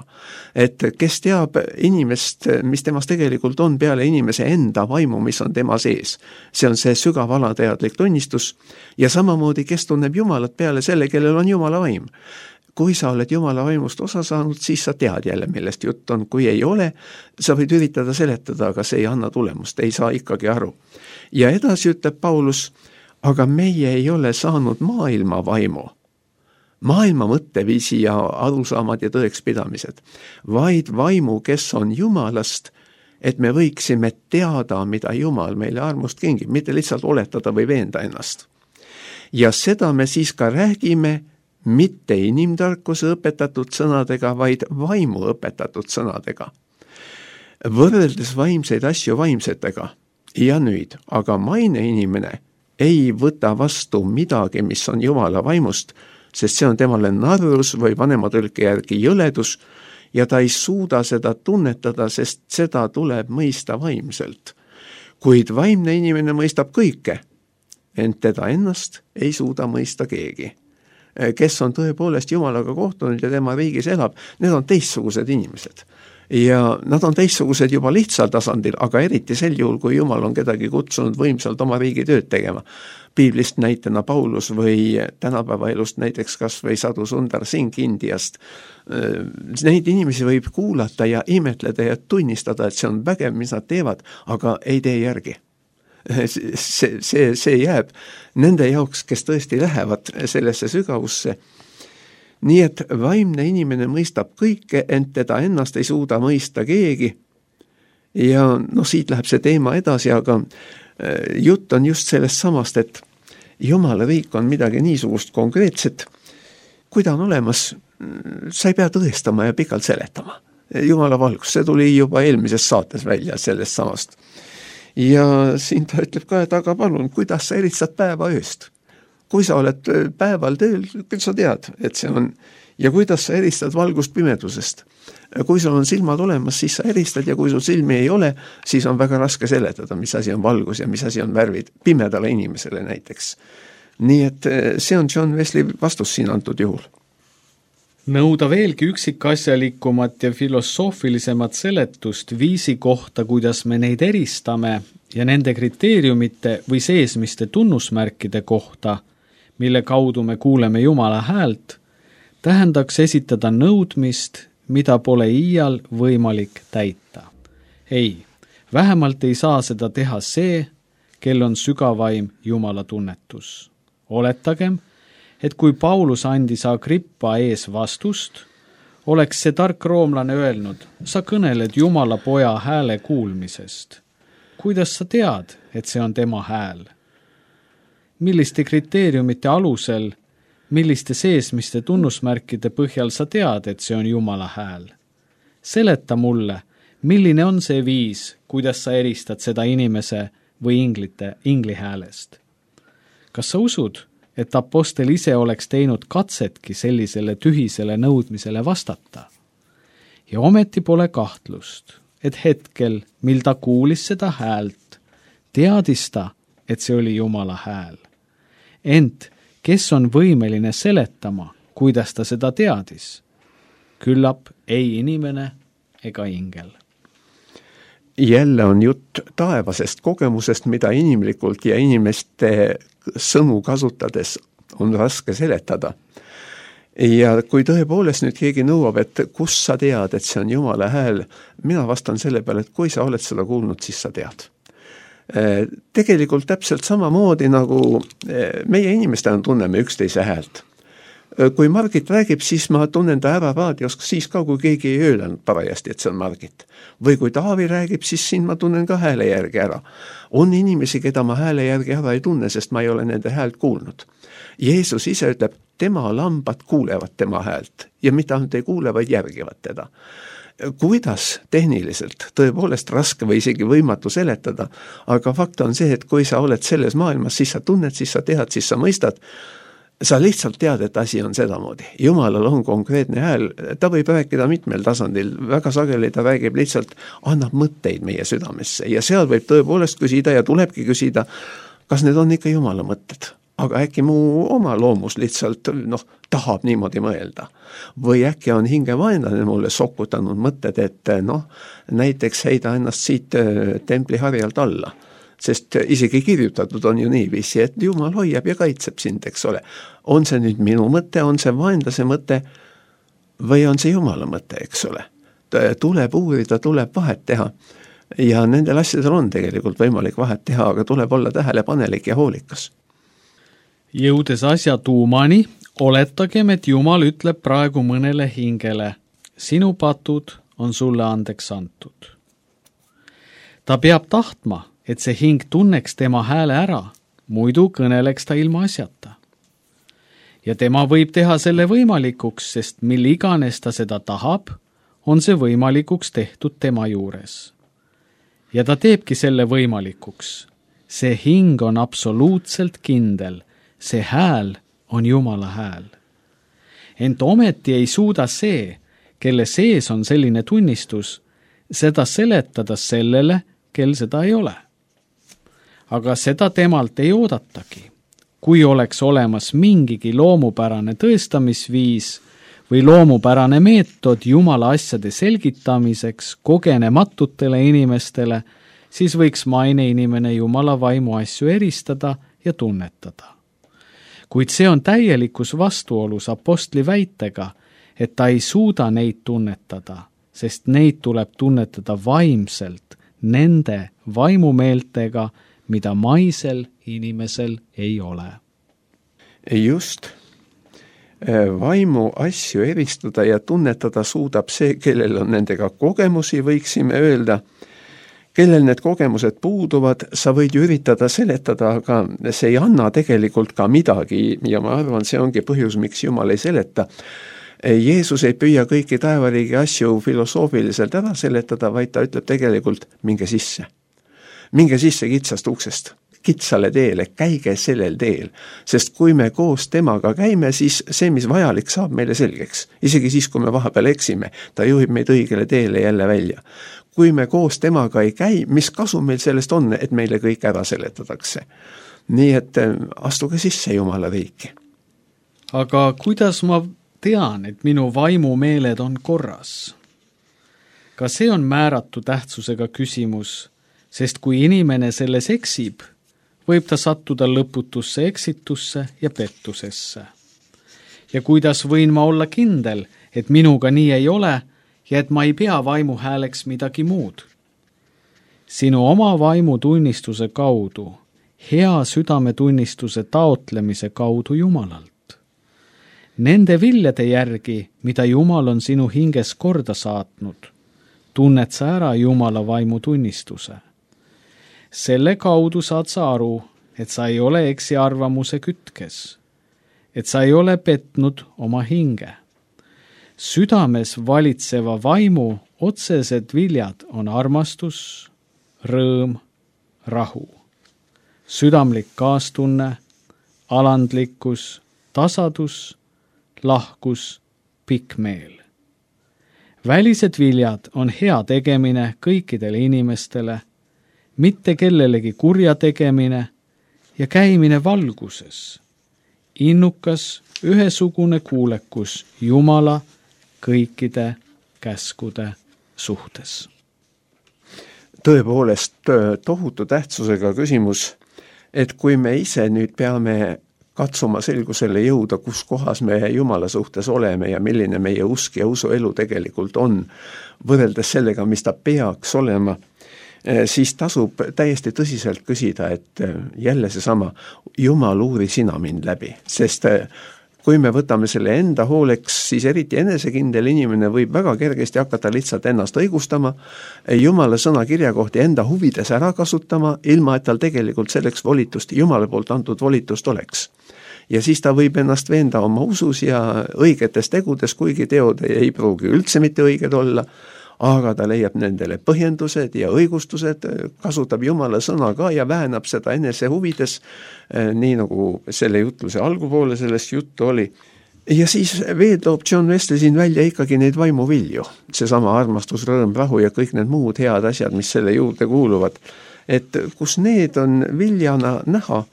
Et kes teab inimest, mis temas tegelikult on peale inimese enda vaimu, mis on tema sees. See on see sügav alateadlik tunnistus ja samamoodi, kes tunneb Jumalat peale selle, kellel on Jumala vaim. Kui sa oled Jumala vaimust osa saanud, siis sa tead jälle, millest jutt on. Kui ei ole, sa võid üritada seletada, aga see ei anna tulemust, ei saa ikkagi aru. Ja edasi ütleb Paulus, aga meie ei ole saanud maailma vaimu, maailma mõtteviisi ja arusaamad ja tõekspidamised, vaid vaimu, kes on Jumalast, et me võiksime teada, mida Jumal meile armust kingib, mitte lihtsalt oletada või veenda ennast. Ja seda me siis ka räägime mitte inimtarkuse õpetatud sõnadega, vaid vaimu õpetatud sõnadega. Võrreldes vaimseid asju vaimsetega ja nüüd, aga maine inimene ei võta vastu midagi, mis on Jumala vaimust, sest see on temale narrus või vanema tõlke järgi jõledus ja ta ei suuda seda tunnetada, sest seda tuleb mõista vaimselt. Kuid vaimne inimene mõistab kõike, ent teda ennast ei suuda mõista keegi. Kes on tõepoolest Jumalaga kohtunud ja tema riigis elab, need on teistsugused inimesed. Ja nad on teistsugused juba lihtsal tasandil, aga eriti sel juhul, kui Jumal on kedagi kutsunud võimsalt oma riigi tööd tegema. Piiblist näitena Paulus või tänapäeva elust näiteks kas või Sadhu Sundar Singh Indiast. Neid inimesi võib kuulata ja imetleda ja tunnistada, et see on vägev, mis nad teevad, aga ei tee järgi. See, see, see jääb nende jaoks, kes tõesti lähevad sellesse sügavusse. Nii et vaimne inimene mõistab kõike, ent teda ennast ei suuda mõista keegi. Ja no siit läheb see teema edasi, aga jutt on just sellest samast, et Jumala riik on midagi niisugust konkreetset. Kui ta on olemas, sa ei pea tõestama ja pikalt seletama. Jumala valgus, see tuli juba eelmises saates välja sellest samast. Ja siin ta ütleb ka, et aga palun, kuidas sa eristad päeva ööst? Kui sa oled päeval tööl, küll sa tead, et see on, ja kuidas sa eristad valgust pimedusest. Kui sul on silmad olemas, siis sa eristad ja kui sul silmi ei ole, siis on väga raske seletada, mis asi on valgus ja mis asi on värvid, pimedale inimesele näiteks. Nii et see on John Wesley vastus siin antud juhul. Nõuda veelgi üksikasjalikumat ja filosoofilisemat seletust viisi kohta, kuidas me neid eristame ja nende kriteeriumite või seesmiste tunnusmärkide kohta, mille kaudu me kuuleme Jumala häält, tähendaks esitada nõudmist, mida pole iial võimalik täita. Ei, vähemalt ei saa seda teha see, kel on sügavaim Jumala tunnetus. Oletagem, et kui Paulus andis Agrippa ees vastust, oleks see tark roomlane öelnud, sa kõneled Jumala poja hääle kuulmisest. Kuidas sa tead, et see on tema hääl? Milliste kriteeriumite alusel, milliste seesmiste tunnusmärkide põhjal sa tead, et see on Jumala hääl? Seleta mulle, milline on see viis, kuidas sa eristad seda inimese või inglite, ingli häälest? Kas sa usud, et apostel ise oleks teinud katsetki sellisele tühisele nõudmisele vastata? Ja ometi pole kahtlust, et hetkel, mil ta kuulis seda häält, teadis ta, et see oli Jumala hääl. Ent kes on võimeline seletama, kuidas ta seda teadis? Küllap ei inimene ega ingel. Jälle on jutt taevasest kogemusest, mida inimlikult ja inimeste sõnu kasutades on raske seletada. ja kui tõepoolest nüüd keegi nõuab, et kus sa tead, et see on Jumala hääl, mina vastan selle peale, et kui sa oled seda kuulnud, siis sa tead. Tegelikult täpselt samamoodi nagu meie inimestena tunneme üksteise häält. Kui Margit räägib, siis ma tunnen ta ära raadios, siis ka, kui keegi ei öelnud parajasti, et see on Margit. Või kui Taavi räägib, siis siin ma tunnen ka hääle järgi ära. On inimesi, keda ma hääle järgi ära ei tunne, sest ma ei ole nende häält kuulnud. Jeesus ise ütleb, tema lambad kuulevad tema häält ja mitte ainult ei kuule, vaid järgivad teda. Kuidas tehniliselt, tõepoolest raske või isegi võimatu seletada, aga fakt on see, et kui sa oled selles maailmas, siis sa tunned, siis sa tead, siis sa mõistad, sa lihtsalt tead, et asi on sedamoodi. Jumalal on konkreetne hääl, ta võib rääkida mitmel tasandil, väga sageli ta räägib lihtsalt, annab mõtteid meie südamesse ja seal võib tõepoolest küsida ja tulebki küsida, kas need on ikka Jumala mõtted. Aga äkki mu oma loomus lihtsalt noh, tahab niimoodi mõelda. Või äkki on hingevaenlane mulle sokutanud mõtted, et noh, näiteks heida ennast siit templi harjalt alla. Sest isegi kirjutatud on ju niiviisi, et Jumal hoiab ja kaitseb sind, eks ole. On see nüüd minu mõte, on see vaenlase mõte või on see Jumala mõte, eks ole. Tuleb uurida, tuleb vahet teha. Ja nendel asjadel on tegelikult võimalik vahet teha, aga tuleb olla tähelepanelik ja hoolikas. Jõudes asja tuumani, oletagem, et Jumal ütleb praegu mõnele hingele, sinu patud on sulle andeks antud. Ta peab tahtma, et see hing tunneks tema hääle ära, muidu kõneleks ta ilma asjata. Ja tema võib teha selle võimalikuks, sest mil iganes ta seda tahab, on see võimalikuks tehtud tema juures. Ja ta teebki selle võimalikuks. See hing on absoluutselt kindel. See hääl on Jumala hääl. Ent ometi ei suuda see, kelle sees on selline tunnistus, seda seletada sellele, kel seda ei ole. Aga seda temalt ei oodatagi. Kui oleks olemas mingigi loomupärane tõestamisviis või loomupärane meetod Jumala asjade selgitamiseks kogenematutele inimestele, siis võiks maine inimene Jumala vaimu asju eristada ja tunnetada. Kuid see on täielikus vastuolus apostli väitega, et ta ei suuda neid tunnetada, sest neid tuleb tunnetada vaimselt, nende vaimumeeltega, mida maisel inimesel ei ole. Just. Vaimu asju eristada ja tunnetada suudab see, kellel on nendega kogemusi, võiksime öelda. Kellel need kogemused puuduvad, sa võid ju üritada seletada, aga see ei anna tegelikult ka midagi ja ma arvan, see ongi põhjus, miks Jumal ei seleta. Jeesus ei püüa kõiki taevariigi asju filosoofiliselt ära seletada, vaid ta ütleb tegelikult, minge sisse. Minge sisse kitsast uksest, kitsale teele, käige sellel teel. Sest kui me koos temaga käime, siis see, mis vajalik, saab meile selgeks. Isegi siis, kui me vahepeal eksime, ta juhib meid õigele teele jälle välja. Kui me koos temaga ei käi, mis kasu meil sellest on, et meile kõik ära seletatakse. Nii et astuge sisse Jumala riiki. Aga kuidas ma tean, et minu vaimumeeled on korras? Ka see on määratu tähtsusega küsimus, sest kui inimene selles eksib, võib ta sattuda lõputusse eksitusse ja pettusesse. Ja kuidas võin ma olla kindel, et minuga nii ei ole, ja et ma ei pea vaimu hääleks midagi muud. Sinu oma vaimu tunnistuse kaudu, hea südametunnistuse taotlemise kaudu Jumalalt. Nende viljade järgi, mida Jumal on sinu hinges korda saatnud, tunned sa ära Jumala vaimu tunnistuse. Selle kaudu saad sa aru, et sa ei ole eksiarvamuse kütkes, et sa ei ole petnud oma hinge. Südames valitseva vaimu otsesed viljad on armastus, rõõm, rahu, südamlik kaastunne, alandlikkus, tasadus, lahkus, pikk meel. Välised viljad on hea tegemine kõikidele inimestele, mitte kellelegi kurja tegemine ja käimine valguses, innukas ühesugune kuulekus Jumala kõikide käskude suhtes. Tõepoolest tohutu tähtsusega küsimus, et kui me ise nüüd peame katsuma selgusele jõuda, kus kohas me Jumala suhtes oleme ja milline meie usk ja usuelu tegelikult on, võrreldes sellega, mis ta peaks olema, siis tasub täiesti tõsiselt küsida, et jälle seesama, Jumal, uuri sina mind läbi, sest kui me võtame selle enda hooleks, siis eriti enesekindel inimene võib väga kergesti hakata lihtsalt ennast õigustama, Jumala sõna kirja kohti enda huvides ära kasutama, ilma et tal tegelikult selleks volitust, Jumala poolt antud volitust oleks. Ja siis ta võib ennast veenda oma usus ja õigetes tegudes, kuigi teod ei pruugi üldse mitte õiged olla, aga ta leiab nendele põhjendused ja õigustused, kasutab Jumala sõna ka ja väänab seda enese huvides, nii nagu selle jutluse algupoole sellest juttu oli. Ja siis veel toob John Wesley siin välja ikkagi neid vaimuvilju, seesama armastus, rõõm, rahu ja kõik need muud head asjad, mis selle juurde kuuluvad. Et kus need on viljana näha,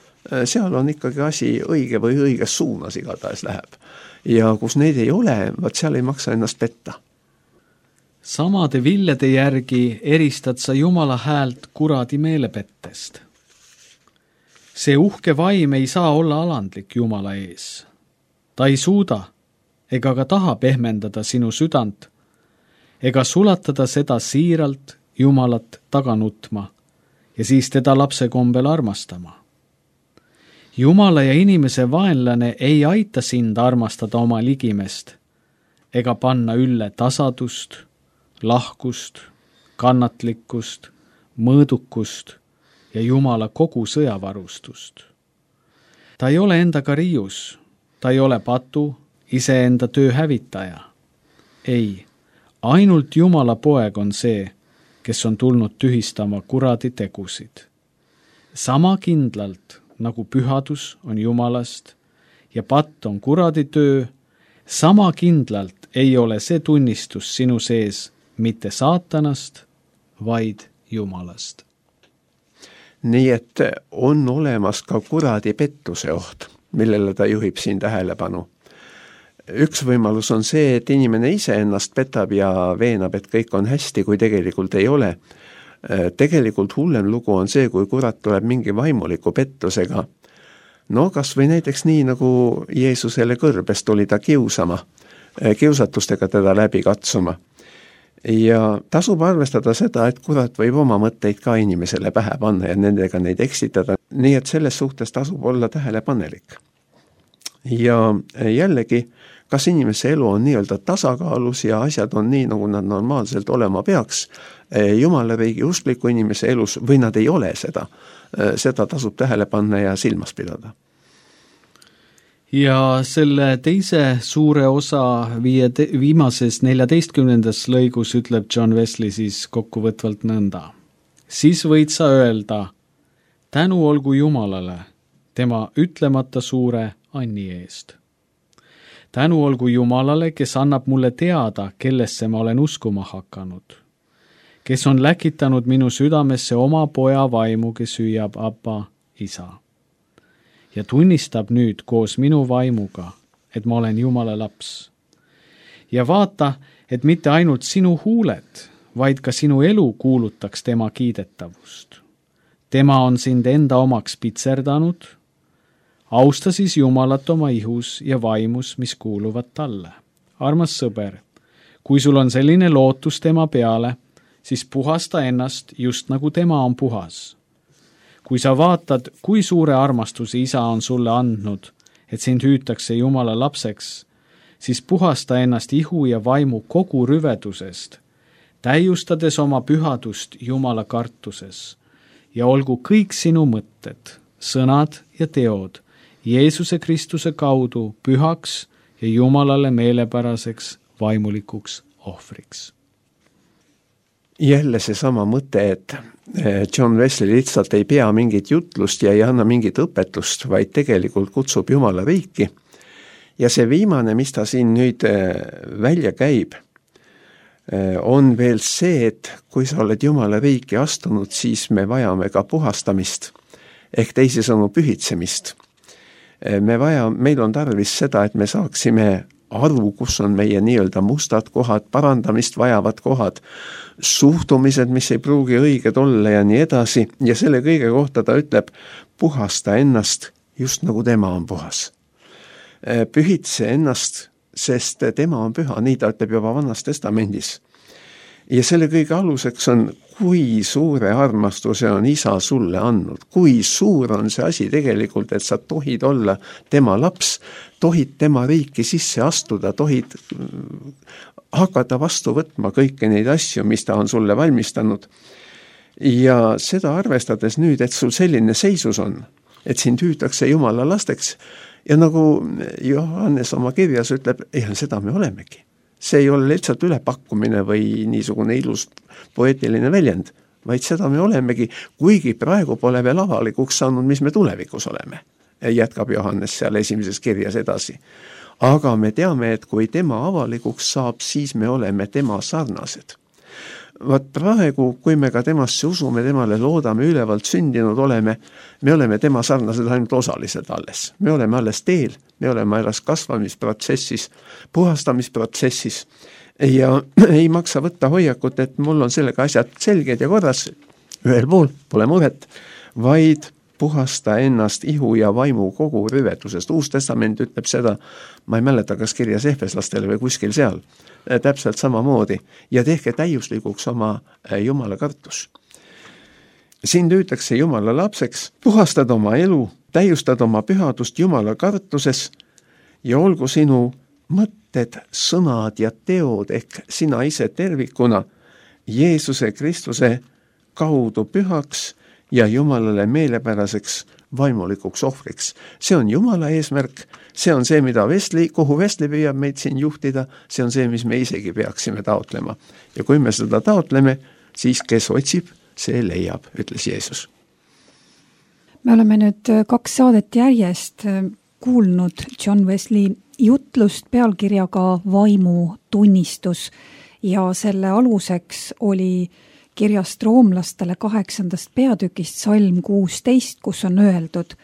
seal on ikkagi asi õige või õiges suunas igatahes läheb. Ja kus neid ei ole, vaat seal ei maksa ennast petta. Samade viljade järgi eristad sa Jumala häält kuradi meelepettest. See uhke vaim ei saa olla alandlik Jumala ees. Ta ei suuda ega ka taha pehmendada sinu südant ega sulatada seda siiralt Jumalat taga nutma ja siis teda lapse kombel armastama. Jumala ja inimese vaenlane ei aita sind armastada oma ligimest ega panna ülle tasadust, lahkust, kannatlikkust, mõõdukust ja Jumala kogu sõjavarustust. Ta ei ole endaga riius, ta ei ole patu, iseenda töö hävitaja. Ei, ainult Jumala poeg on see, kes on tulnud tühistama kuradi tegusid. Sama kindlalt, nagu pühadus on Jumalast ja patt on kuradi töö, sama kindlalt ei ole see tunnistus sinu sees mitte saatanast, vaid Jumalast. Nii et on olemas ka kuradi pettuse oht, millele ta juhib siin tähelepanu. Üks võimalus on see, et inimene ise ennast petab ja veenab, et kõik on hästi, kui tegelikult ei ole. Tegelikult hullem lugu on see, kui kurat tuleb mingi vaimuliku pettusega. No kas või näiteks nii, nagu Jeesusele kõrbest oli ta kiusama, kiusatustega teda läbi katsuma. Ja tasub arvestada seda, et kurat võib oma mõtteid ka inimesele pähe panna ja nendega neid eksitada, nii et selles suhtes tasub olla tähelepanelik. Ja jällegi, kas inimese elu on nii-öelda tasakaalus ja asjad on nii, nagu nad normaalselt olema peaks, Jumala riigi uskliku inimese elus või nad ei ole seda, seda tasub tähele panna ja silmas pidada. Ja selle teise suure osa viie, viimases neljateistkümnendas lõigus ütleb John Wesley siis kokkuvõtvalt nõnda. Siis võid sa öelda, tänu olgu Jumalale, tema ütlemata suure anni eest. Tänu olgu Jumalale, kes annab mulle teada, kellesse ma olen uskuma hakanud, kes on läkitanud minu südamesse oma poja vaimu, kes hüüab Abba, isa. Ja tunnistab nüüd koos minu vaimuga, et ma olen Jumala laps. Ja vaata, et mitte ainult sinu huuled, vaid ka sinu elu kuulutaks tema kiidetavust. Tema on sind enda omaks pitserdanud, austa siis Jumalat oma ihus ja vaimus, mis kuuluvad talle. Armas sõber, kui sul on selline lootus tema peale, siis puhasta ennast just nagu tema on puhas. Kui sa vaatad, kui suure armastuse isa on sulle andnud, et sind hüütakse Jumala lapseks, siis puhasta ennast ihu ja vaimu kogu rüvedusest, täiustades oma pühadust Jumala kartuses ja olgu kõik sinu mõtted, sõnad ja teod Jeesuse Kristuse kaudu pühaks ja Jumalale meelepäraseks vaimulikuks ohvriks. Jälle see sama mõte, et John Wesley lihtsalt ei pea mingit jutlust ja ei anna mingit õpetust, vaid tegelikult kutsub Jumala riiki. Ja see viimane, mis ta siin nüüd välja käib, on veel see, et kui sa oled Jumala riiki astunud, siis me vajame ka puhastamist, ehk teisisõnu pühitsemist. Me vaja, meil on tarvis seda, et me saaksime aru, kus on meie nii-öelda mustad kohad, parandamist vajavad kohad, suhtumised, mis ei pruugi õiged olla ja nii edasi. Ja selle kõige kohta ta ütleb, puhasta ennast just nagu tema on puhas. Pühitse ennast, sest tema on püha, nii ta ütleb juba Vanas Testamendis. Ja selle kõige aluseks on, kui suure armastuse on isa sulle andnud, kui suur on see asi tegelikult, et sa tohid olla tema laps, tohid tema riiki sisse astuda, tohid hakata vastu võtma kõiki neid asju, mis ta on sulle valmistanud. Ja seda arvestades nüüd, et sul selline seisus on, et sind hüütakse Jumala lasteks, ja nagu Johannes oma kirjas ütleb, jah, seda me olemegi. See ei ole lihtsalt ülepakkumine või niisugune ilus poeetiline väljend, vaid seda me olemegi, kuigi praegu pole veel avalikuks saanud, mis me tulevikus oleme. Jätkab Johannes seal esimeses kirjas edasi. Aga me teame, et kui tema avalikuks saab, siis me oleme tema sarnased. Vaat praegu, kui me ka temasse usume, temale loodame, ülevalt sündinud oleme, me oleme tema sarnased ainult osaliselt alles. Me oleme alles teel, me oleme alles kasvamisprotsessis, puhastamisprotsessis ja ei maksa võtta hoiakut, et mul on sellega asjad selged ja korras, ühel pool pole muret, vaid puhasta ennast ihu ja vaimu kogu rüvetusest. Uus testament ütleb seda, ma ei mäleta, kas kirjas ehveslastele või kuskil seal, täpselt samamoodi, ja tehke täiuslikuks oma Jumala kartus. Sind hüütakse Jumala lapseks, puhastad oma elu, täiustad oma pühadust Jumala kartuses ja olgu sinu mõtted, sõnad ja teod ehk sina ise tervikuna Jeesuse Kristuse kaudu pühaks ja Jumalale meelepäraseks vaimulikuks ohvriks. See on Jumala eesmärk, see on see, mida Vestli, kuhu Vestli püüab meid siin juhtida, see on see, mis me isegi peaksime taotlema. Ja kui me seda taotleme, siis kes otsib, see leiab, ütles Jeesus. Me oleme nüüd kaks saadet järjest kuulnud John Wesley jutlust pealkirjaga Vaimu tunnistus ja selle aluseks oli kirjast roomlastele kaheksandast peatükist salm kuusteist, kus on öeldud: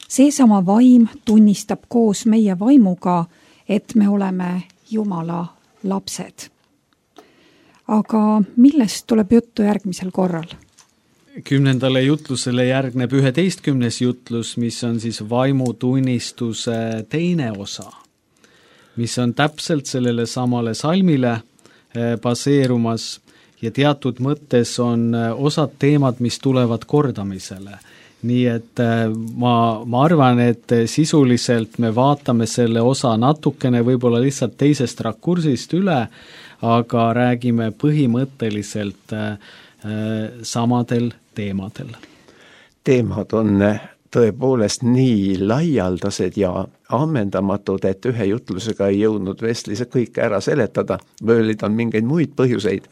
seesama vaim tunnistab koos meie vaimuga, et me oleme Jumala lapsed. Aga millest tuleb juttu järgmisel korral? Kümnendale jutlusele järgneb üheteistkümnes jutlus, mis on siis vaimutunnistuse teine osa, mis on täpselt sellele samale salmile baseerumas ja teatud mõttes on osad teemad, mis tulevad kordamisele. Nii et ma, ma arvan, et sisuliselt me vaatame selle osa natukene võib-olla lihtsalt teisest rakursist üle, aga räägime põhimõtteliselt samadel teemadel. Teemad on tõepoolest nii laialdased ja ammendamatud, et ühe jutlusega ei jõudnud Wesley kõike ära seletada, või oli ta mingeid muid põhjuseid.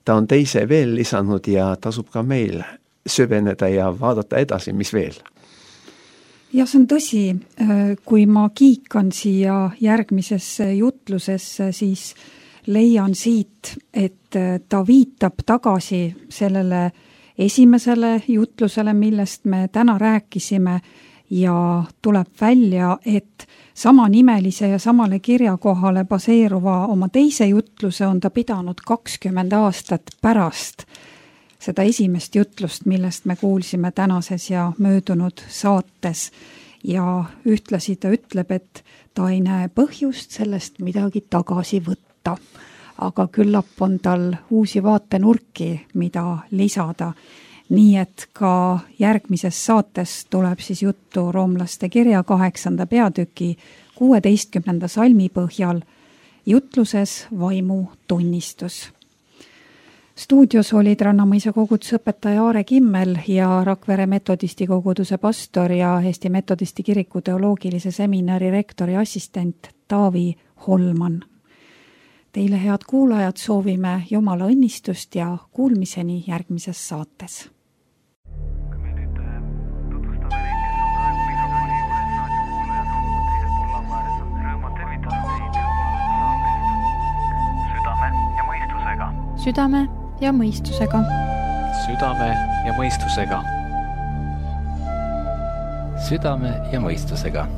Ta on teise veel lisanud ja tasub ka meil süveneda ja vaadata edasi, mis veel. Ja see on tõsi, kui ma kiikan siia järgmisesse jutlusesse, siis leian siit, et ta viitab tagasi sellele esimesele jutlusele, millest me täna rääkisime ja tuleb välja, et samanimelise ja samale kirjakohale baseeruva oma teise jutluse on ta pidanud kakskümmend aastat pärast seda esimest jutlust, millest me kuulsime tänases ja möödunud saates. Ja ühtlasi ta ütleb, et ta ei näe põhjust sellest midagi tagasi võtta. Aga küllap on tal uusi vaatenurki, mida lisada. Nii et ka järgmises saates tuleb siis juttu roomlaste kirja kaheksanda peatüki kuueteistkümnenda salmi põhjal jutluses Vaimu tunnistus. Stuudios olid Rannamõisa koguduse õpetaja Aare Kimmel ja Rakvere metodisti koguduse pastor ja Eesti metodisti kiriku teoloogilise seminari rektori assistent Taavi Holman. Teile, head kuulajad, soovime Jumala õnnistust ja kuulmiseni järgmises saates. Kui me nüüd tutvustame neid, kes on praegu mikrofoni juures, raadiokuulajad on teisel pool laua ääres, on rõõmu tervitada teid saatest Südame ja mõistusega. Südame ja mõistusega. Südame ja mõistusega. Südame ja mõistusega.